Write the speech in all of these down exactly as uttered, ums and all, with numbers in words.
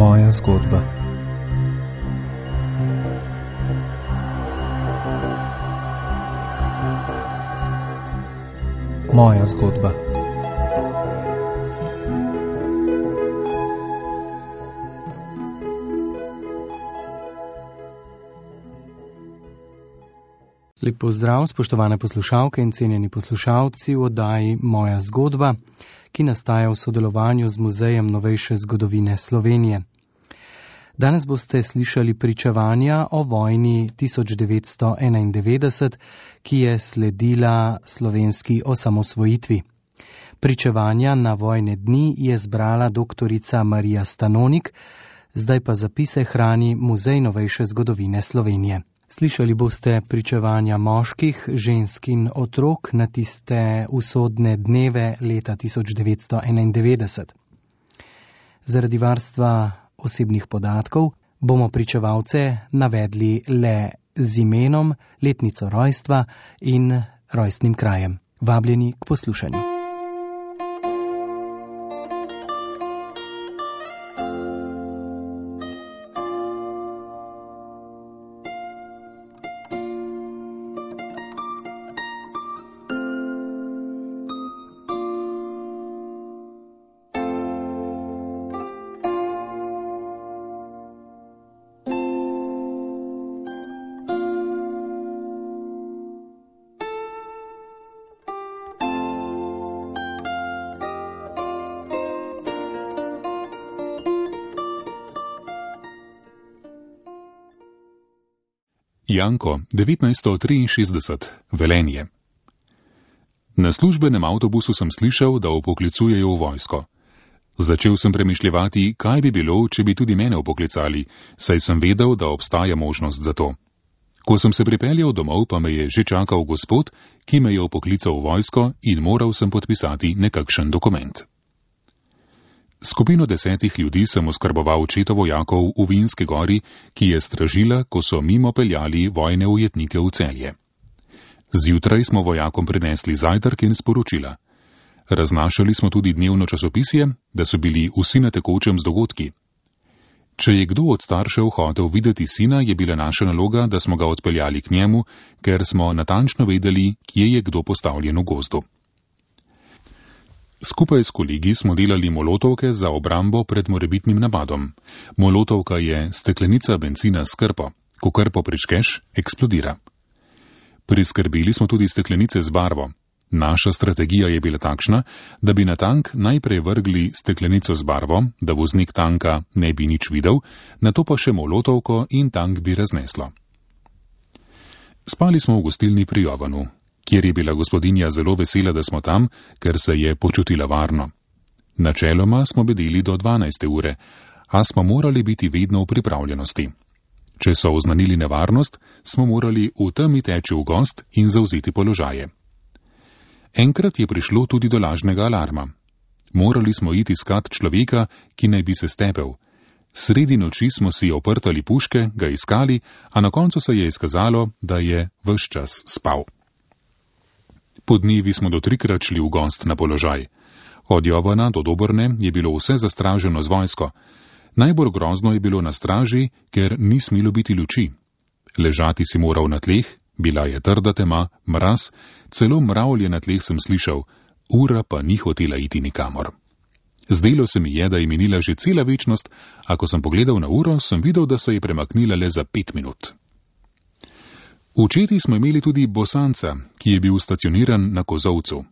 Moja zgodba. Moja zgodba. Lep pozdrav, spoštovane poslušalke in cenjeni poslušalci v oddaji Moja zgodba, ki nastaja v sodelovanju z Muzejem novejše zgodovine Slovenije. Danes boste slišali pričevanja o vojni tisoč devetsto enaindevetdeset, ki je sledila slovenski osamosvojitvi. Pričevanja na vojne dni je zbrala doktorica Marija Stanonik, zdaj pa zapise hrani Muzej novejše zgodovine Slovenije. Slišali boste pričevanja moških, žensk in otrok na tiste usodne dneve leta tisoč devetsto enaindevetdeset. Zaradi varstva osebnih podatkov bomo pričevalce navedli le z imenom, letnico rojstva in rojstnim krajem. Vabljeni k poslušanju. Janko, devetnajststo triinšestdeset, Velenje. Na službenem avtobusu sem slišal, da vpoklicujejo v vojsko. Začel sem premišljevati, kaj bi bilo, če bi tudi mene vpoklicali, saj sem vedel, da obstaja možnost za to. Ko sem se pripeljal domov, pa me je že čakal gospod, ki me je vpoklical v vojsko in moral sem podpisati nekakšen dokument. Skupino desetih ljudi sem oskrboval četo vojakov v Vinski gori, ki je stražila, ko so mimo peljali vojne ujetnike v Celje. Zjutraj smo vojakom prinesli zajtrk in sporočila. Raznašali smo tudi dnevno časopisje, da so bili vsi na tekočem z dogodki. Če je kdo od staršev hotel videti sina, je bila naša naloga, da smo ga odpeljali k njemu, ker smo natančno vedeli, kje je kdo postavljen v gozdu. Skupaj s kolegi smo delali molotovke za obrambo pred morebitnim napadom. Molotovka je steklenica bencina s krpo. Ko krpo pričkeš, eksplodira. Priskrbeli smo tudi steklenice z barvo. Naša strategija je bila takšna, da bi na tank najprej vrgli steklenico z barvo, da voznik tanka ne bi nič videl, nato pa še molotovko in tank bi razneslo. Spali smo v gostilni pri Jovanu, kjer je bila gospodinja zelo vesela, da smo tam, ker se je počutila varno. Načeloma smo bedeli do dvanajste ure, a smo morali biti vedno v pripravljenosti. Če so oznanili nevarnost, smo morali v temi teči v gost in zavzeti položaje. Enkrat je prišlo tudi do lažnega alarma. Morali smo iti iskat človeka, ki naj bi se stepel. Sredi noči smo si oprtali puške, ga iskali, a na koncu se je izkazalo, da je ves čas spal. Po dnevi smo do trikrat šli v gost na položaj. Od Jovana do Dobrne je bilo vse zastraženo z vojsko. Najbolj grozno je bilo na straži, ker ni smelo biti luči. Ležati si moral na tleh, bila je trda tema, mraz, celo mravlje na tleh sem slišal, ura pa ni hotela iti nikamor. Zdelo se mi je, da je minila že cela večnost, a ko sem pogledal na uro, sem videl, da se je premaknila le za pet minut. V četi smo imeli tudi bosanca, ki je bil stacioniran na kozovcu.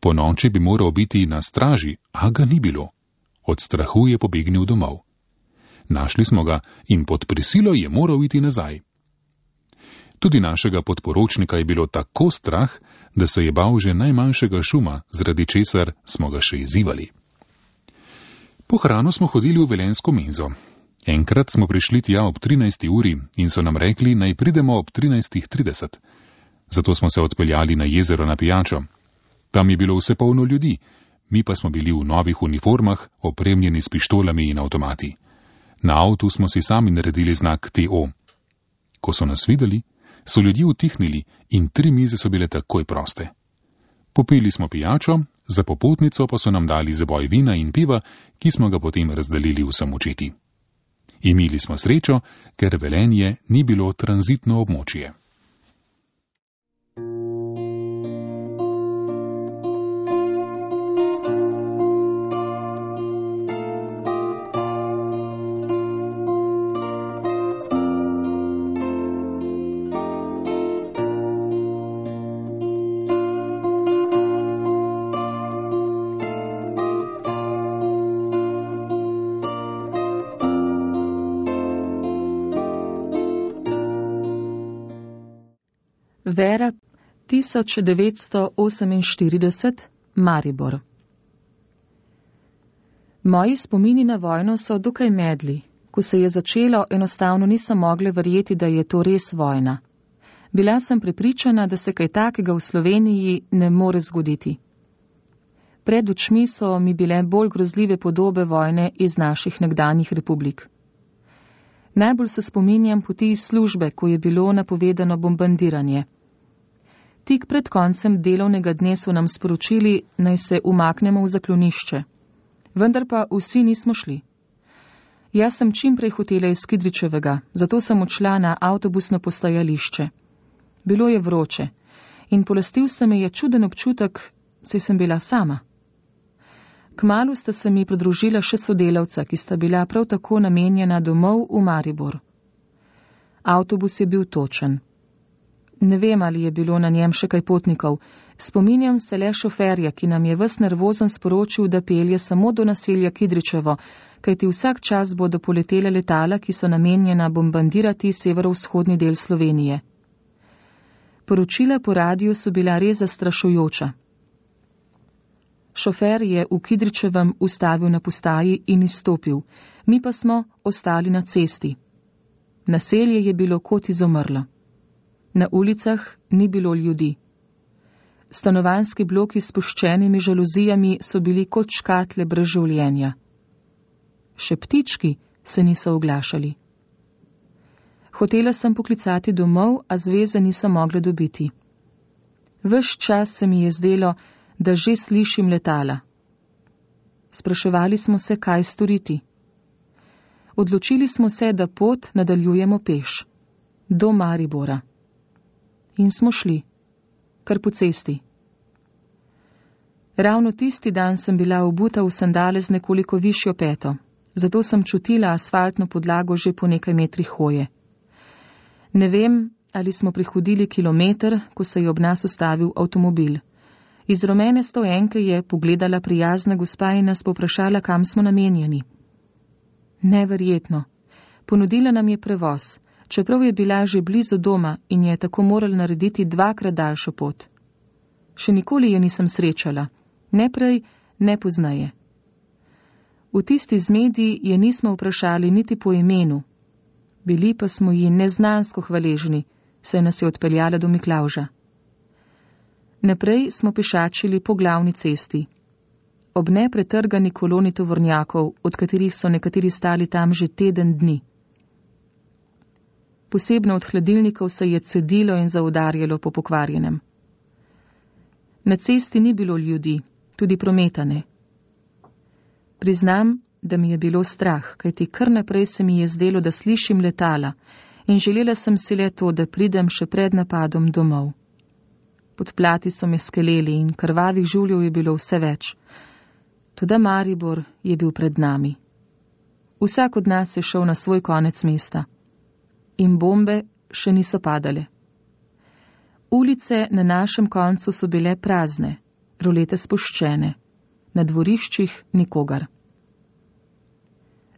Po noči bi moral biti na straži, a ga ni bilo. Od strahu je pobegnil domov. Našli smo ga in pod prisilo je moral iti nazaj. Tudi našega podporočnika je bilo tako strah, da se je bal že najmanjšega šuma, zaradi česar smo ga še izzivali. Po hrano smo hodili v velenjsko menzo. Enkrat smo prišli tja ob trinajsti uri in so nam rekli, naj pridemo ob trinajstih trideset. Zato smo se odpeljali na jezero na pijačo. Tam je bilo vse polno ljudi, mi pa smo bili v novih uniformah, opremljeni s pištolami in avtomati. Na avtu smo si sami naredili znak T O. Ko so nas videli, so ljudje utihnili in tri mize so bile takoj proste. Popili smo pijačo, za popotnico pa so nam dali zaboj vina in piva, ki smo ga potem razdelili vsem v četi. Imeli smo srečo, ker Velenje ni bilo tranzitno območje. Vera, tisoč devetsto oseminštirideset, Maribor. Moji spomini na vojno so dokaj medli. Ko se je začelo, enostavno nisem mogla verjeti, da je to res vojna. Bila sem prepričana, da se kaj takega v Sloveniji ne more zgoditi. Pred očmi so mi bile bolj grozljive podobe vojne iz naših nekdanjih republik. Najbolj se spominjam poti iz službe, ko je bilo napovedano bombardiranje. Tik pred koncem delovnega dne so nam sporočili, naj se umaknemo v zaklonišče. Vendar pa vsi nismo šli. Jaz sem čim prej hotela iz Kidričevega, zato sem odšla na avtobusno postajališče. Bilo je vroče in polastil se me je čuden občutek, saj sem bila sama. Kmalu sta se mi pridružila še sodelavca, ki sta bila prav tako namenjena domov v Maribor. Avtobus je bil točen. Ne vem, ali je bilo na njem še kaj potnikov. Spominjam se le šoferja, ki nam je ves nervozen sporočil, da pelje samo do naselja Kidričevo, kajti vsak čas bodo poletele letala, ki so namenjena bombardirati severovzhodni del Slovenije. Poročila po radiju so bila res zastrašujoča. Šofer je v Kidričevem ustavil na postaji in izstopil, mi pa smo ostali na cesti. Naselje je bilo kot izumrlo. Na ulicah ni bilo ljudi. Stanovanjski bloki s spuščenimi žaluzijami so bili kot škatle brez življenja. Še ptički se niso oglašali. Hotela sem poklicati domov, a zveze nisem mogla dobiti. Ves čas se mi je zdelo, da že slišim letala. Spraševali smo se, kaj storiti. Odločili smo se, da pot nadaljujemo peš. Do Maribora. In smo šli. Kar po cesti. Ravno tisti dan sem bila obuta v sandale z nekoliko višjo peto, zato sem čutila asfaltno podlago že po nekaj metrih hoje. Ne vem, ali smo prehodili kilometer, ko se je ob nas ustavil avtomobil. Iz rumene stoenke je pogledala prijazna gospa in nas poprašala, kam smo namenjeni. Neverjetno. Ponudila nam je prevoz, čeprav je bila že blizu doma in je tako morala narediti dvakrat daljšo pot. Še nikoli je nisem srečala, ne prej, ne pozneje. V tisti zmedi je nismo vprašali niti po imenu. Bili pa smo ji neznansko hvaležni, saj nas je odpeljala do Miklavža. Naprej smo pešačili po glavni cesti. Ob nepretrgani koloni tovornjakov, od katerih so nekateri stali tam že teden dni. Posebno od hladilnikov se je cedilo in zaudarjalo po pokvarjenem. Na cesti ni bilo ljudi, tudi prometa ne. Priznam, da mi je bilo strah, kajti kar naprej se mi je zdelo, da slišim letala in želela sem si le to, da pridem še pred napadom domov. Podplati so me skeleli in krvavih žuljev je bilo vse več. Toda Maribor je bil pred nami. Vsak od nas je šel na svoj konec mesta. In bombe še niso padale. Ulice na našem koncu so bile prazne, rolete spuščene, na dvoriščih nikogar.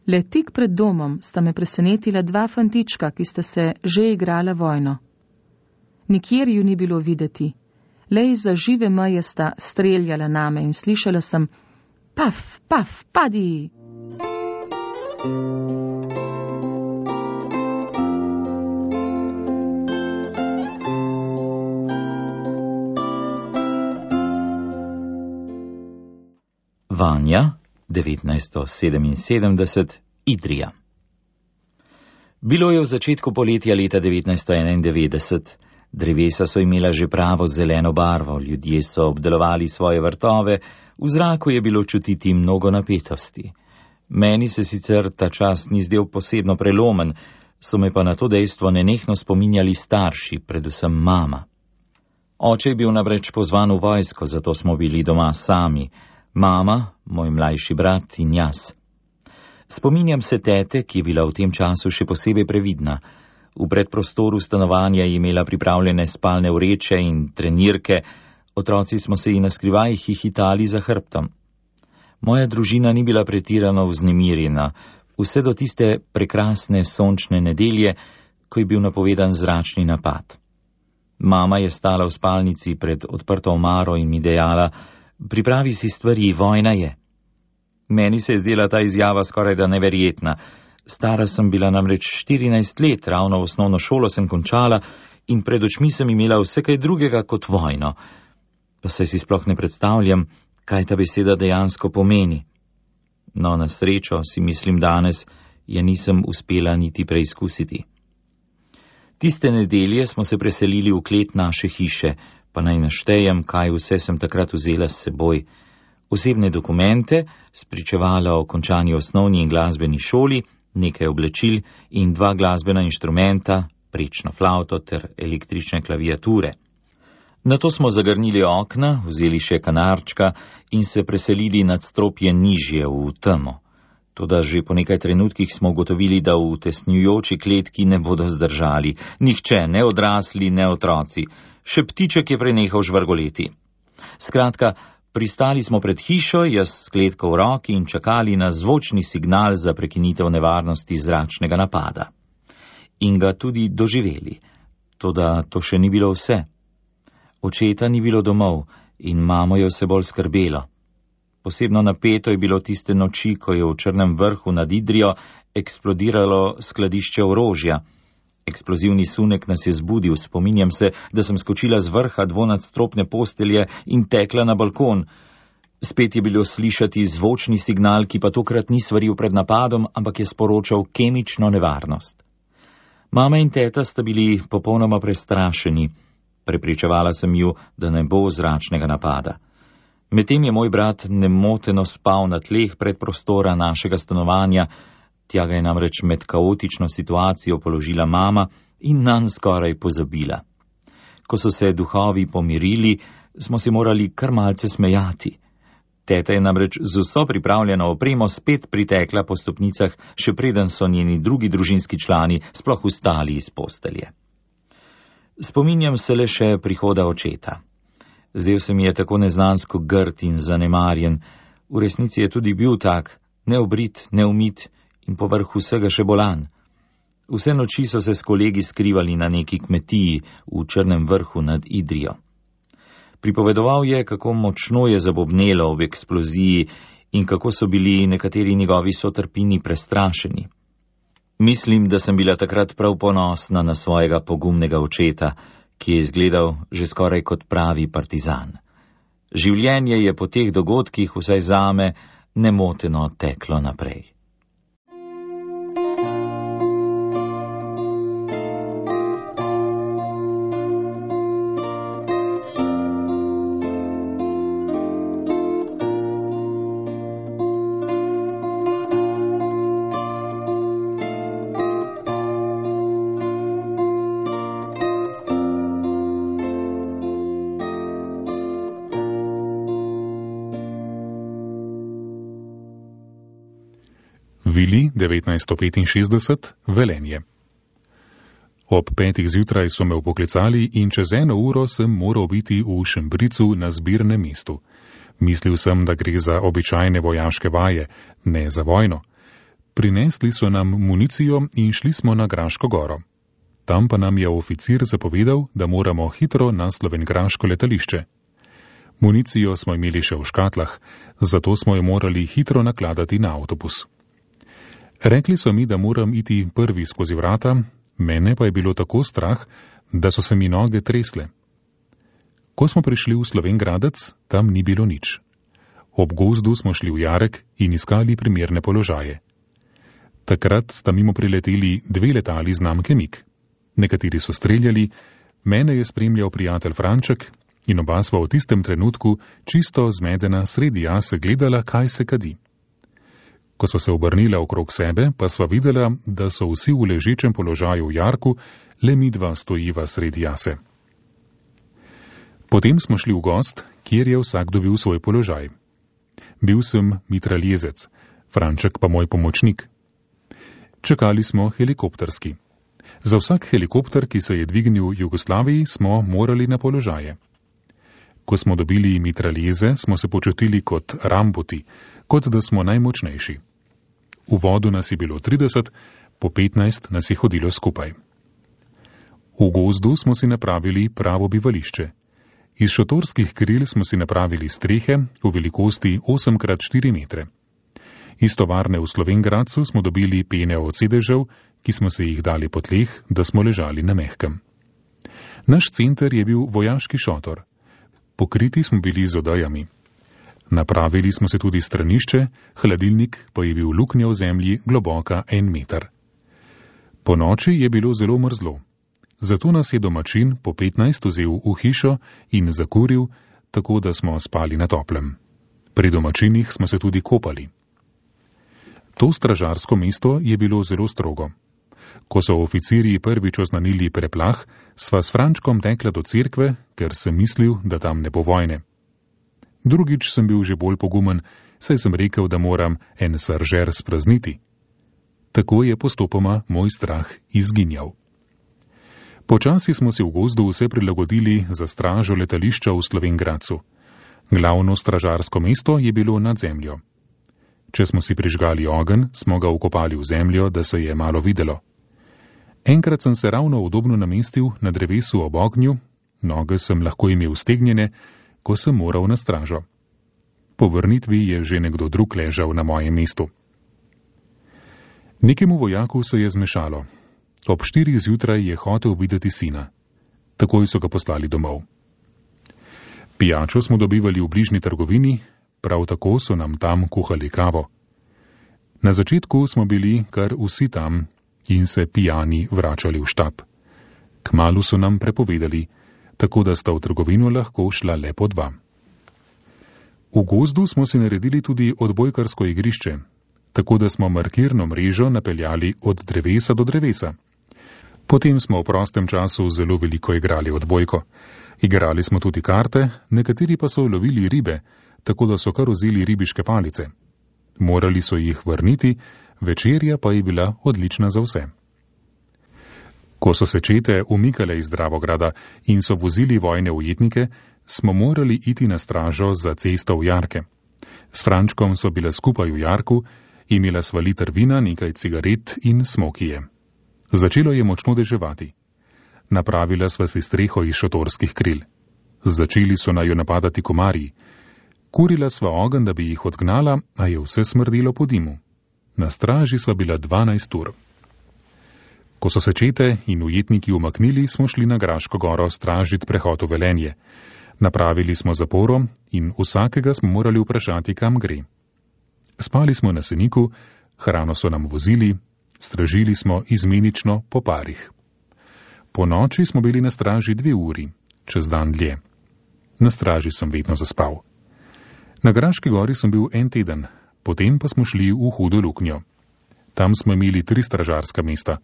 Le tik pred domom sta me presenetila dva fantička, ki sta se že igrala vojno. Nikjer ju ni bilo videti, le izza žive meje sta streljala name in slišala sem: paf, paf, padi! Vanja, devetnajststo sedeminsedemdeset, Idrija. Bilo je v začetku poletja leta devetnajststo enaindevetdeset. Drevesa so imela že pravo zeleno barvo, ljudje so obdelovali svoje vrtove, v zraku je bilo čutiti mnogo napetosti. Meni se sicer ta čas ni zdel posebno prelomen, so me pa na to dejstvo nenehno spominjali starši, predvsem mama. Oče je bil namreč pozvan v vojsko, zato smo bili doma sami, mama, moj mlajši brat in jaz. Spominjam se tete, ki je bila v tem času še posebej previdna. V predprostoru stanovanja je imela pripravljene spalne vreče in trenirke, otroci smo se ji naskrivaj hihitali za hrbtom. Moja družina ni bila pretirano vznemirjena, vse do tiste prekrasne sončne nedelje, ko je bil napovedan zračni napad. Mama je stala v spalnici pred odprto omaro in mi dejala: pripravi si stvari, vojna je. Meni se je zdela ta izjava skoraj da neverjetna. Stara sem bila namreč štirinajst let, ravno v osnovno šolo sem končala in pred očmi sem imela vse kaj drugega kot vojno. Pa saj si sploh ne predstavljam, kaj ta beseda dejansko pomeni. No, na srečo, si mislim danes, je nisem uspela niti preizkusiti. Tiste nedelje smo se preselili v klet naše hiše, pa naj naštejem, kaj vse sem takrat vzela s seboj. Osebne dokumente, spričevala o končani osnovni in glasbeni šoli, nekaj oblečil in dva glasbena inštrumenta, prečno flavto ter električne klaviature. Nato smo zagrnili okna, vzeli še kanarčka in se preselili nad stropje nižje v temo. Toda že po nekaj trenutkih smo ugotovili, da v tesnjujoči kletki ne bodo zdržali. Nihče, ne odrasli, ne otroci. Še ptiček je prenehal žvrgoleti. Skratka, pristali smo pred hišo, jaz s kletko v roki in čakali na zvočni signal za prekinitev nevarnosti zračnega napada. In ga tudi doživeli. Toda to še ni bilo vse. Očeta ni bilo domov in mamo je vse bolj skrbelo. Posebno napeto je bilo tiste noči, ko je v Črnem vrhu nad Idrijo eksplodiralo skladišče orožja. Eksplozivni sunek nas je zbudil, spominjam se, da sem skočila z vrha dvonadstropne postelje in tekla na balkon. Spet je bilo slišati zvočni signal, ki pa tokrat ni svaril pred napadom, ampak je sporočal kemično nevarnost. Mama in teta sta bili popolnoma prestrašeni. Prepričevala sem ju, da ne bo zračnega napada. Medtem je moj brat nemoteno spal na tleh predprostora našega stanovanja, tja ga je namreč med kaotično situacijo položila mama in nanj skoraj pozabila. Ko so se duhovi pomirili, smo se morali kar malce smejati. Teta je namreč z vso pripravljeno opremo spet pritekla po stopnicah, še preden so njeni drugi družinski člani sploh vstali iz postelje. Spominjam se le še prihoda očeta. Zdel se mi je tako neznansko grd in zanemarjen, v resnici je tudi bil tak, neobrit, neumit in povrh vsega še bolan. Vse noči so se s kolegi skrivali na neki kmetiji v Črnem vrhu nad Idrijo. Pripovedoval je, kako močno je zabobnelo ob eksploziji in kako so bili nekateri njegovi sotrpini prestrašeni. Mislim, da sem bila takrat prav ponosna na svojega pogumnega očeta, ki je izgledal že skoraj kot pravi partizan. Življenje je po teh dogodkih, vsaj zame, nemoteno teklo naprej. Vili devetnajststo petinšestdeset, Velenje. Ob petih zjutraj so me upoklicali in čez eno uro sem moral biti v Šembricu na zbirnem mestu. Mislil sem, da gre za običajne vojaške vaje, ne za vojno. Prinesli so nam municijo in šli smo na Graško goro. Tam pa nam je oficir zapovedal, da moramo hitro na slovenjgraško letališče. Municijo smo imeli še v škatlah, zato smo jo morali hitro nakladati na avtobus. Rekli so mi, da moram iti prvi skozi vrata, mene pa je bilo tako strah, da so se mi noge tresle. Ko smo prišli v Slovenjgradec, tam ni bilo nič. Ob gozdu smo šli v jarek in iskali primerne položaje. Takrat sta mimo prileteli dve letali znamke MiG. Nekateri so streljali, mene je spremljal prijatelj Franček in oba sva v tistem trenutku čisto zmedena sredi jase gledala, kaj se kadi. Ko sva se obrnila okrog sebe, pa sva videla, da so vsi v ležečem položaju v jarku, le midva stojiva sredi jase. Potem smo šli v gost, kjer je vsak dobil svoj položaj. Bil sem mitraljezec, Franček pa moj pomočnik. Čakali smo helikopterski. Za vsak helikopter, ki se je dvignil v Jugoslaviji, smo morali na položaje. Ko smo dobili mitraljeze, smo se počutili kot ramboti, kot da smo najmočnejši. V vodu nas je bilo trideset, po petnajst nas je hodilo skupaj. V gozdu smo si napravili pravo bivališče. Iz šotorskih kril smo si napravili strehe v velikosti osem krat štiri metre. Iz tovarne v Slovengradcu smo dobili pene od sedežev, ki smo se jih dali po tleh, da smo ležali na mehkem. Naš center je bil vojaški šotor. Pokriti smo bili z odejami. Napravili smo se tudi stranišče, hladilnik pa je bil luknja v zemlji globoka en meter. Po noči je bilo zelo mrzlo. Zato nas je domačin po petnajst vzel v hišo in zakuril, tako da smo spali na toplem. Pri domačinih smo se tudi kopali. To stražarsko mesto je bilo zelo strogo. Ko so oficirji prvič oznanili preplah, sva s Frančkom tekla do cerkve, ker sem mislil, da tam ne bo vojne. Drugič sem bil že bolj pogumen, saj sem rekel, da moram en saržer sprazniti. Tako je postopoma moj strah izginjal. Počasi smo si v gozdu vse prilagodili za stražo letališča v Slovengradcu. Glavno stražarsko mesto je bilo nad zemljo. Če smo si prižgali ogenj, smo ga vkopali v zemljo, da se je malo videlo. Enkrat sem se ravno udobno namestil na drevesu ob ognju, noge sem lahko imel stegnjene, ko sem moral na stražo. Po vrnitvi je že nekdo drug ležal na mojem mestu. Nekemu vojaku se je zmešalo. Ob štirih zjutraj je hotel videti sina. Takoj so ga poslali domov. Pijačo smo dobivali v bližnji trgovini, prav tako so nam tam kuhali kavo. Na začetku smo bili kar vsi tam in se pijani vračali v štab. Kmalu so nam prepovedali, tako da sta v trgovino lahko šla le po dva. V gozdu smo si naredili tudi odbojkarsko igrišče, tako da smo markirno mrežo napeljali od drevesa do drevesa. Potem smo v prostem času zelo veliko igrali odbojko. Igrali smo tudi karte, nekateri pa so lovili ribe, tako da so kar vzeli ribiške palice. Morali so jih vrniti, večerja pa je bila odlična za vse. Ko so se čete umikale iz Dravograda in so vozili vojne ujetnike, smo morali iti na stražo za cesto v jarke. S Frančkom so bile skupaj v jarku, imela sva liter vina, nekaj cigaret in smokije. Začelo je močno deževati. Napravila sva si streho iz šotorskih kril. Začeli so naju napadati komarji. Kurila sva ogenj, da bi jih odgnala, a je vse smrdelo po dimu. Na straži sva bila dvanajst ur. Ko so se čete in ujetniki umaknili, smo šli na Graško goro stražit prehod v Velenje. Napravili smo zaporo in vsakega smo morali vprašati, kam gre. Spali smo na seniku, hrano so nam vozili, stražili smo izmenično po parih. Po noči smo bili na straži dve uri, čez dan dlje. Na straži sem vedno zaspal. Na Graški gori sem bil en teden, potem pa smo šli v Hudo luknjo. Tam smo imeli tri stražarska mesta.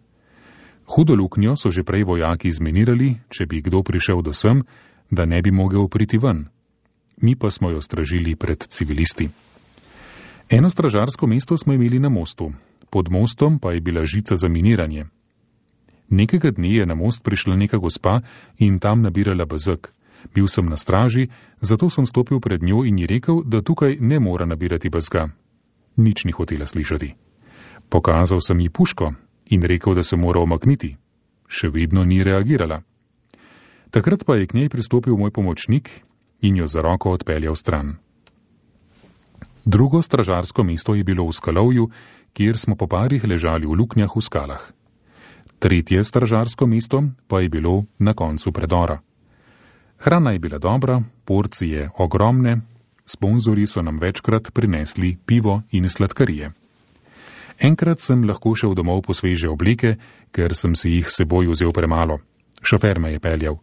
Hudo luknjo so že prej vojaki izmenirali, če bi kdo prišel do sem, da ne bi mogel priti ven. Mi pa smo jo stražili pred civilisti. Eno stražarsko mesto smo imeli na mostu, pod mostom pa je bila žica za miniranje. Nekega dne je na most prišla neka gospa in tam nabirala bezeg. Bil sem na straži, zato sem stopil pred njo in ji rekel, da tukaj ne mora nabirati bezga. Nič ni hotela slišati. Pokazal sem ji puško in rekel, da se mora omakniti. Še vedno ni reagirala. Takrat pa je k njej pristopil moj pomočnik in jo za roko odpeljal stran. Drugo stražarsko mesto je bilo v Skalovju, kjer smo po parih ležali v luknjah v skalah. Tretje stražarsko mesto pa je bilo na koncu predora. Hrana je bila dobra, porcije ogromne, sponzorji so nam večkrat prinesli pivo in sladkarije. Enkrat sem lahko šel domov po sveže obleke, ker sem si jih seboj vzel premalo. Šofer me je peljal.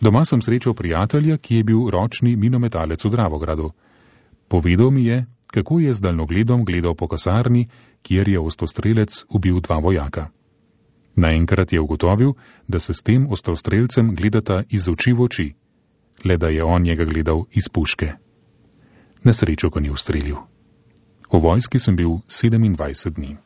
Doma sem srečal prijatelja, ki je bil ročni minometalec v Dravogradu. Povedal mi je, kako je z daljnogledom gledal po kasarni, kjer je ostrostrelec ubil dva vojaka. Naenkrat je ugotovil, da se s tem ostrostrelcem gledata iz oči v oči, le da je on njega gledal iz puške. Nesrečo ga ni ustrelil. V vojski sem bil sedemindvajset dni.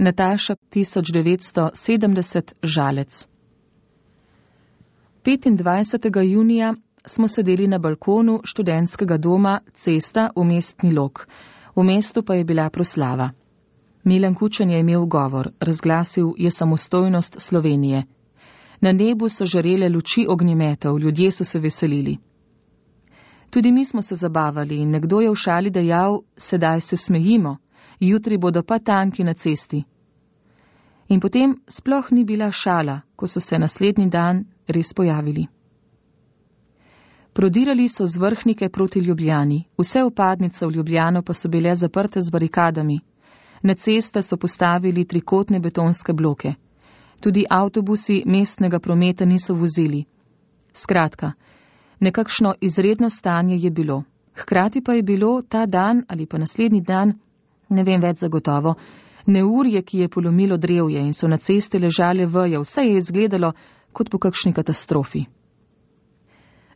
Nataša tisoč devetsto sedemdeset Žalec. petindvajsetega junija smo sedeli na balkonu študentskega doma Cesta v Mestni Log. V mestu pa je bila proslava. Milan Kučan je imel govor, razglasil je samostojnost Slovenije. Na nebu so žarele luči ognjemetov, ljudje so se veselili. Tudi mi smo se zabavali in nekdo je v šali dejal, sedaj se smejimo, jutri bodo pa tanki na cesti. In potem sploh ni bila šala, ko so se naslednji dan res pojavili. Prodirali so z Vrhnike proti Ljubljani, vse vpadnice v Ljubljano pa so bile zaprte z barikadami. Na ceste so postavili trikotne betonske bloke. Tudi avtobusi mestnega prometa niso vozili. Skratka, nekakšno izredno stanje je bilo. Hkrati pa je bilo ta dan ali pa naslednji dan, ne vem več zagotovo, neurje, ki je polomilo drevje in so na ceste ležale veje, vse je izgledalo kot po kakšni katastrofi.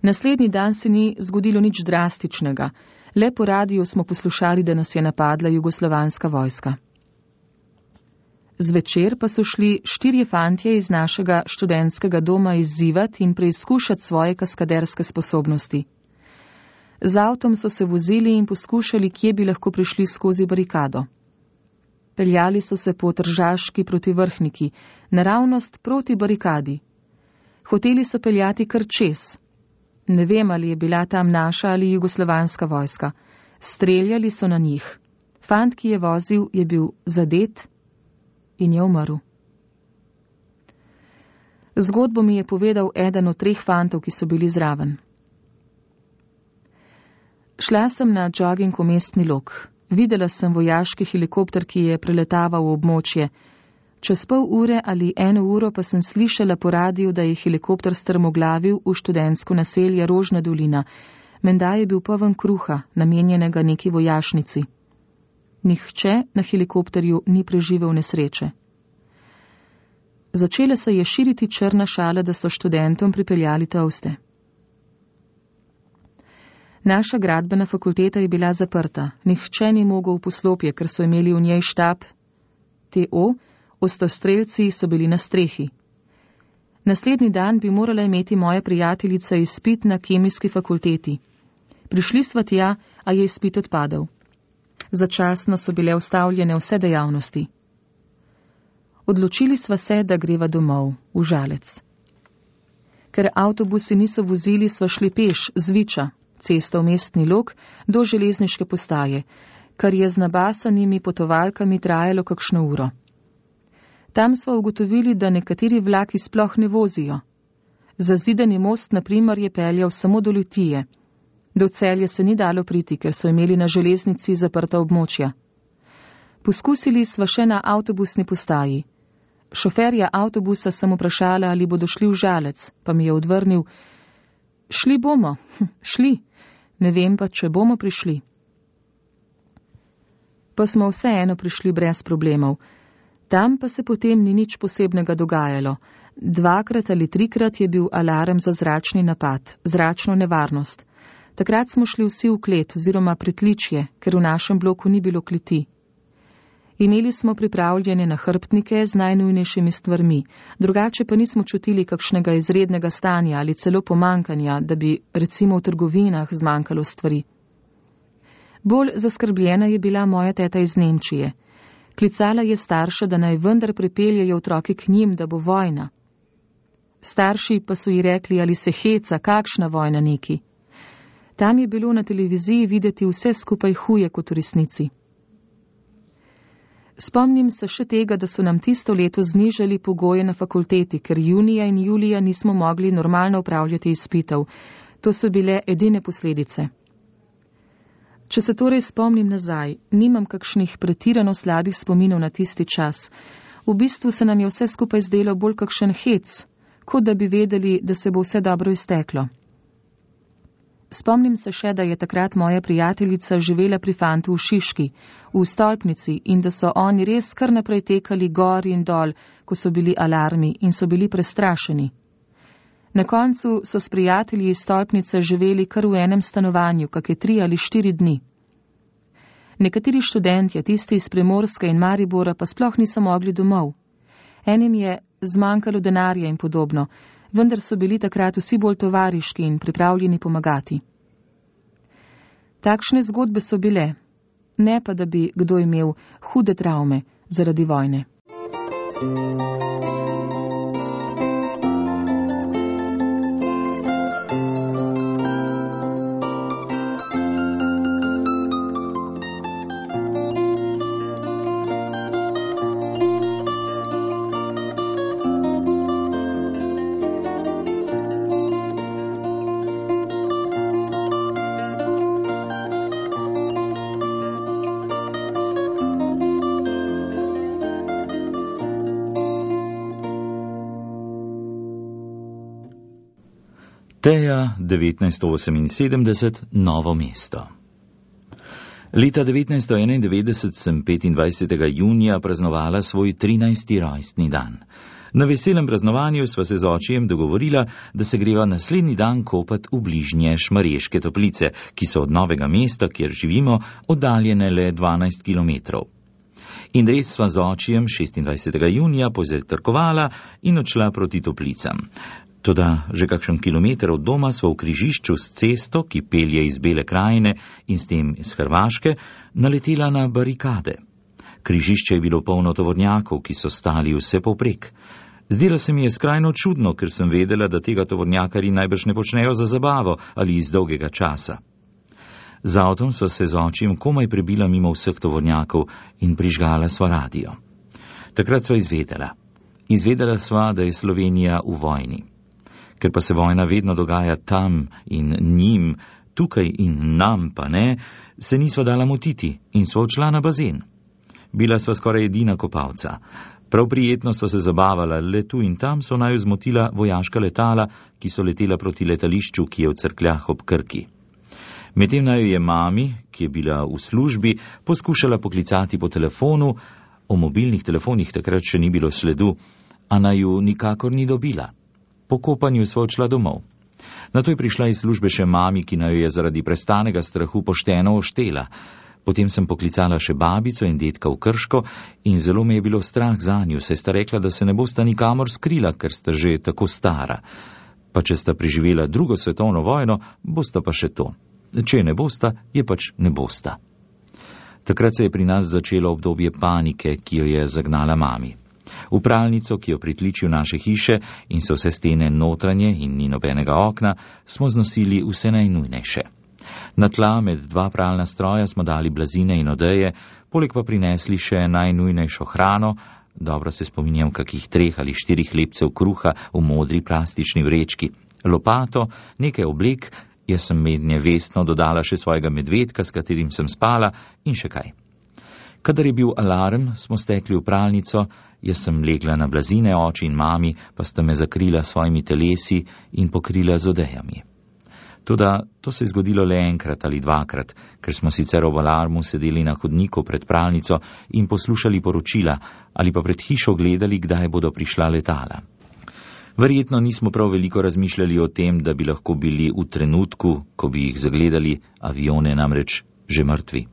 Naslednji dan se ni zgodilo nič drastičnega, le po radiju smo poslušali, da nas je napadla jugoslovanska vojska. Zvečer pa so šli štirje fantje iz našega študentskega doma izzivati in preizkušati svoje kaskaderske sposobnosti. Z avtom so se vozili in poskušali, kje bi lahko prišli skozi barikado. Peljali so se po Tržaški proti Vrhniki, naravnost proti barikadi. Hoteli so peljati kar čez. Ne vem, ali je bila tam naša ali jugoslovanska vojska. Streljali so na njih. Fant, ki je vozil, je bil zadet in je umrl. Zgodbo mi je povedal eden od treh fantov, ki so bili zraven. Šla sem na jogging v Mestni Log. Videla sem vojaški helikopter, ki je preletaval v območje. Čez pol ure ali eno uro pa sem slišala po radiju, da je helikopter strmoglavil v študentsko naselje Rožna dolina. Menda je bil poln kruha, namenjenega neki vojašnici. Nihče na helikopterju ni preživel nesreče. Začela se je širiti črna šala, da so študentom pripeljali toste. Naša gradbena fakulteta je bila zaprta. Nihče ni mogel v poslopje, ker so imeli v njej štab T O, ostrostrelci so bili na strehi. Naslednji dan bi morala imeti moja prijateljica izpit na kemijski fakulteti. Prišli sva tja, a je izpit odpadel. Začasno so bile ustavljene vse dejavnosti. Odločili sva se, da greva domov, v Žalec. Ker avtobusi niso vozili, sva šli peš z Viča, cesta v Mestni Log, do železniške postaje, kar je z nabasanimi potovalkami trajalo kakšno uro. Tam sva ugotovili, da nekateri vlaki sploh ne vozijo. Zazidani most, na primer, je peljal samo do Litije. Do Celja se ni dalo priti, ker so imeli na železnici zaprta območja. Poskusili sva še na avtobusni postaji. Šoferja avtobusa sem vprašala, ali bodo šli v Žalec, pa mi je odvrnil: šli bomo, hm, šli, ne vem pa, če bomo prišli. Pa smo vseeno prišli brez problemov. Tam pa se potem ni nič posebnega dogajalo. Dvakrat ali trikrat je bil alarm za zračni napad, zračno nevarnost. Takrat smo šli vsi v klet oziroma pritličje, ker v našem bloku ni bilo kleti. Imeli smo pripravljene nahrbtnike z najnujnejšimi stvarmi, drugače pa nismo čutili kakšnega izrednega stanja ali celo pomankanja, da bi recimo v trgovinah zmanjkalo stvari. Bolj zaskrbljena je bila moja teta iz Nemčije. Klicala je starša, da naj vendar pripeljejo otroke k njim, da bo vojna. Starši pa so ji rekli, ali se heca, kakšna vojna neki. Tam je bilo na televiziji videti vse skupaj huje kot v resnici. Spomnim se še tega, da so nam tisto leto znižali pogoje na fakulteti, ker junija in julija nismo mogli normalno upravljati izpitov. To so bile edine posledice. Če se torej spomnim nazaj, nimam kakšnih pretirano slabih spominov na tisti čas. V bistvu se nam je vse skupaj zdelo bolj kakšen hec, kot da bi vedeli, da se bo vse dobro izteklo. Spomnim se še, da je takrat moja prijateljica živela pri fantu v Šiški, v stolpnici, in da so oni res kar naprej tekali gor in dol, ko so bili alarmi in so bili prestrašeni. Na koncu so s prijatelji iz stolpnice živeli kar v enem stanovanju, kakšne tri ali štiri dni. Nekateri študentje, tisti iz Primorske in Maribora, pa sploh niso mogli domov. Enim je zmanjkalo denarja in podobno, vendar so bili takrat vsi bolj tovariški in pripravljeni pomagati. Takšne zgodbe so bile, ne pa da bi kdo imel hude travme zaradi vojne. Teja, devetnajststo oseminsedemdeset, Novo mesto. Leta devetnajststo enaindevetdeset sem petindvajsetega junija praznovala svoj trinajsti rojstni dan. Na veselem praznovanju sva se z očijem dogovorila, da se greva naslednji dan kopat v bližnje Šmarješke Toplice, ki so od Novega mesta, kjer živimo, oddaljene le dvanajst kilometrov. In res sva z očijem šestindvajsetega junija pozajtrkovala in odšla proti Toplicam. Toda že kakšen kilometer od doma sva v križišču s cesto, ki pelje iz Bele krajine in s tem iz Hrvaške, naletela na barikade. Križišče je bilo polno tovornjakov, ki so stali vse povprek. Zdelo se mi je skrajno čudno, ker sem vedela, da tega tovornjakarji najbrž ne počnejo za zabavo ali iz dolgega časa. Z avtom sva se z očim komaj prebila mimo vseh tovornjakov in prižgala sva radio. Takrat sva izvedela. Izvedela sva, da je Slovenija v vojni. Ker pa se vojna vedno dogaja tam in njim, tukaj in nam pa ne, se nisva dala motiti in sva odšla na bazen. Bila sva skoraj edina kopalca. Prav prijetno sva se zabavala, le tu in tam so naju zmotila vojaška letala, ki so letela proti letališču, ki je v Cerkljah ob Krki. Medtem naju je mami, ki je bila v službi, poskušala poklicati po telefonu, o mobilnih telefonih takrat še ni bilo sledu, a naju nikakor ni dobila. Po kopanju sva odšla domov. Nato je prišla iz službe še mami, ki naju je zaradi prestanega strahu pošteno oštela. Potem sem poklicala še babico in dedka v Krško in zelo me je bilo strah zanju, saj sta rekla, da se ne bosta nikamor skrila, ker sta že tako stara. Pa če sta preživela drugo svetovno vojno, bosta pa še to. Če ne bosta, je pač ne bosta. Takrat se je pri nas začelo obdobje panike, ki jo je zagnala mami. V pralnico, ki jo pritliči v naše hiše in so vse stene notranje in ni nobenega okna, smo znosili vse najnujnejše. Na tla med dva pralna stroja smo dali blazine in odeje, poleg pa prinesli še najnujnejšo hrano, dobro se spominjam kakih treh ali štirih hlebcev kruha v modri plastični vrečki, lopato, nekaj oblek, jaz sem mednje vestno dodala še svojega medvedka, s katerim sem spala, in še kaj. Kadar je bil alarm, smo stekli v pralnico, jaz sem legla na blazine, oči in mami pa sta me zakrila svojimi telesi in pokrila z odejami. Toda to se je zgodilo le enkrat ali dvakrat, ker smo sicer ob alarmu sedeli na hodniku pred pralnico in poslušali poročila ali pa pred hišo gledali, kdaj bodo prišla letala. Verjetno nismo prav veliko razmišljali o tem, da bi lahko bili v trenutku, ko bi jih zagledali, avione namreč že mrtvi.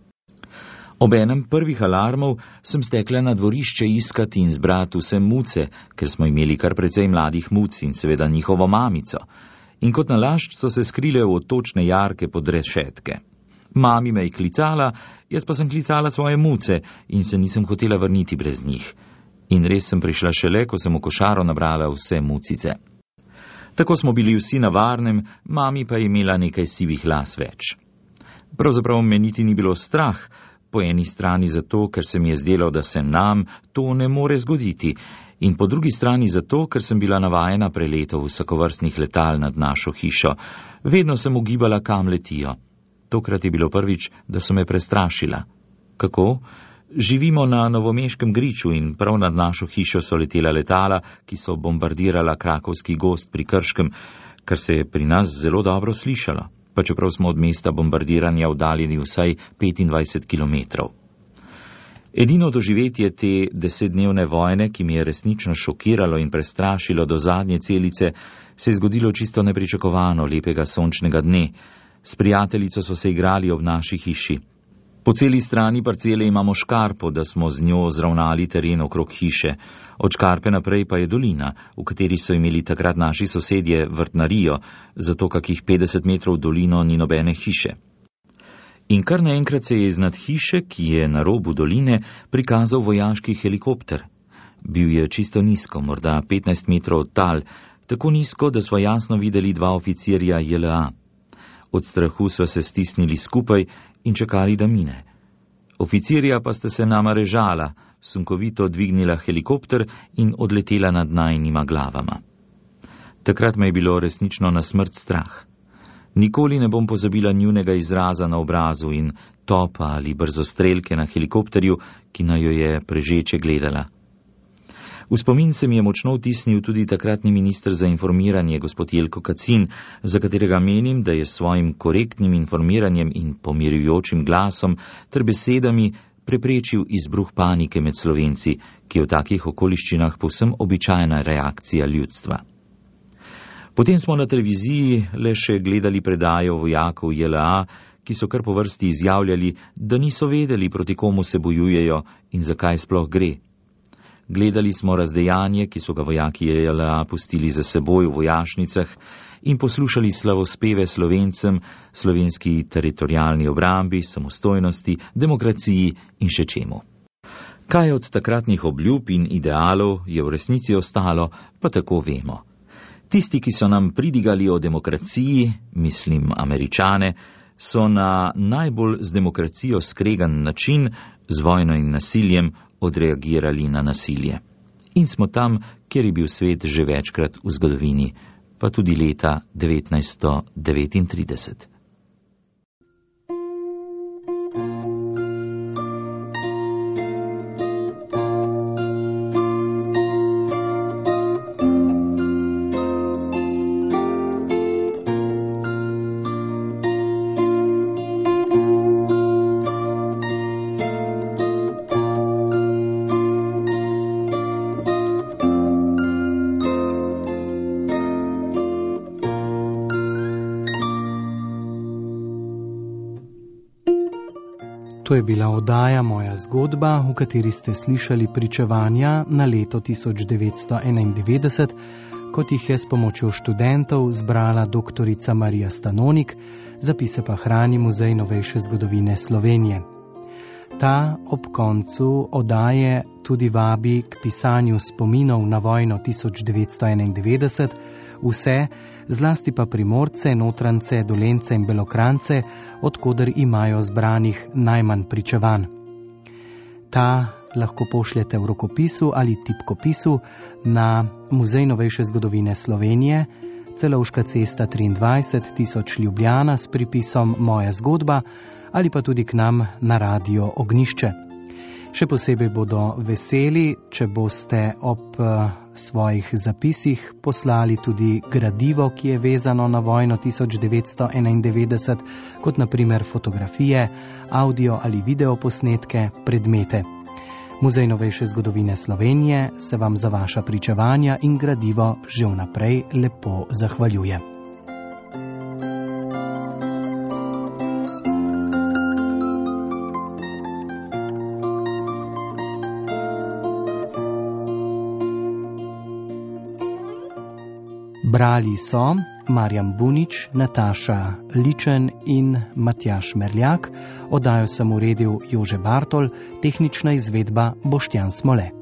Ob enem prvih alarmov sem stekla na dvorišče iskati in zbrati vse muce, ker smo imeli kar precej mladih muc in seveda njihovo mamico. In kot nalašč so se skrile v odtočne jarke pod rešetke. Mami me je klicala, jaz pa sem klicala svoje muce in se nisem hotela vrniti brez njih. In res sem prišla šele, ko sem v košaro nabrala vse mucice. Tako smo bili vsi na varnem, mami pa je imela nekaj sivih las več. Pravzaprav me niti ni bilo strah, Po eni strani zato, ker se mi je zdelo, da se nam to ne more zgoditi, in po drugi strani zato, ker sem bila navajena preletov vsakovrstnih letal nad našo hišo. Vedno sem ugibala, kam letijo. Tokrat je bilo prvič, da so me prestrašila. Kako? Živimo na novomeškem griču in prav nad našo hišo so letela letala, ki so bombardirala krakovski gozd pri Krškem, kar se je pri nas zelo dobro slišalo, pa čeprav smo od mesta bombardiranja oddaljeni vsaj petindvajset kilometrov. Edino doživetje te desetdnevne vojne, ki mi je resnično šokiralo in prestrašilo do zadnje celice, se je zgodilo čisto nepričakovano lepega sončnega dne. S prijateljico so se igrali ob naši hiši. Po celi strani parcele imamo škarpo, da smo z njo zravnali teren okrog hiše. Od škarpe naprej pa je dolina, v kateri so imeli takrat naši sosedje vrtnarijo, zato kakih petdeset metrov dolino ni nobene hiše. In kar naenkrat se je iznad hiše, ki je na robu doline, prikazal vojaški helikopter. Bil je čisto nizko, morda petnajst metrov od tal, tako nizko, da smo jasno videli dva oficirja J L A. Od strahu sva se stisnili skupaj in čakali, da mine. Oficirja pa sta se nama režala, sunkovito dvignila helikopter in odletela nad najnima glavama. Takrat me je bilo resnično na smrt strah. Nikoli ne bom pozabila njunega izraza na obrazu in topa ali brzostrelke na helikopterju, ki na jo je prežeče gledala. V spomin se mi je močno vtisnil tudi takratni minister za informiranje, gospod Jelko Kacin, za katerega menim, da je s svojim korektnim informiranjem in pomirjujočim glasom ter besedami preprečil izbruh panike med Slovenci, ki je v takih okoliščinah povsem običajna reakcija ljudstva. Potem smo na televiziji le še gledali predajo vojakov J L A, ki so kar po vrsti izjavljali, da niso vedeli, proti komu se bojujejo in zakaj sploh gre. Gledali smo razdejanje, ki so ga vojaki J L A pustili za seboj v vojašnicah, in poslušali slavospeve Slovencem, slovenski teritorialni obrambi, samostojnosti, demokraciji in še čemu. Kaj od takratnih obljub in idealov je v resnici ostalo, pa tako vemo. Tisti, ki so nam pridigali o demokraciji, mislim Američane, so na najbolj z demokracijo skregan način, z vojno in nasiljem, odreagirali na nasilje. In smo tam, kjer je bil svet že večkrat v zgodovini, pa tudi leta devetnajststo devetintrideset. To je bila oddaja Moja zgodba, v kateri ste slišali pričevanja na leto tisoč devetsto enaindevetdeset, kot jih je s pomočjo študentov zbrala doktorica Marija Stanonik, zapise pa hrani Muzej novejše zgodovine Slovenije. Ta ob koncu oddaje tudi vabi k pisanju spominov na vojno tisoč devetsto enaindevetdeset, vse, zlasti pa Primorce, Notrance, Dolence in Belokrantce, odkoder imajo zbranih najmanj pričevanj. Ta lahko pošljete v rokopisu ali tipkopisu na Muzej novejše zgodovine Slovenije, Celovška cesta triindvajset tisoč Ljubljana s pripisom Moja zgodba ali pa tudi k nam na Radio Ognjišče. Še posebej bodo veseli, če boste ob svojih zapisih poslali tudi gradivo, ki je vezano na vojno tisoč devetsto enaindevetdeset, kot na primer fotografije, audio ali video posnetke, predmete. Muzej novejše zgodovine Slovenije se vam za vaša pričevanja in gradivo že vnaprej lepo zahvaljuje. Brali so Marjan Bunič, Nataša Ličen in Matjaž Merljak, oddajo sem uredil Jože Bartol, tehnična izvedba Boštjan Smole.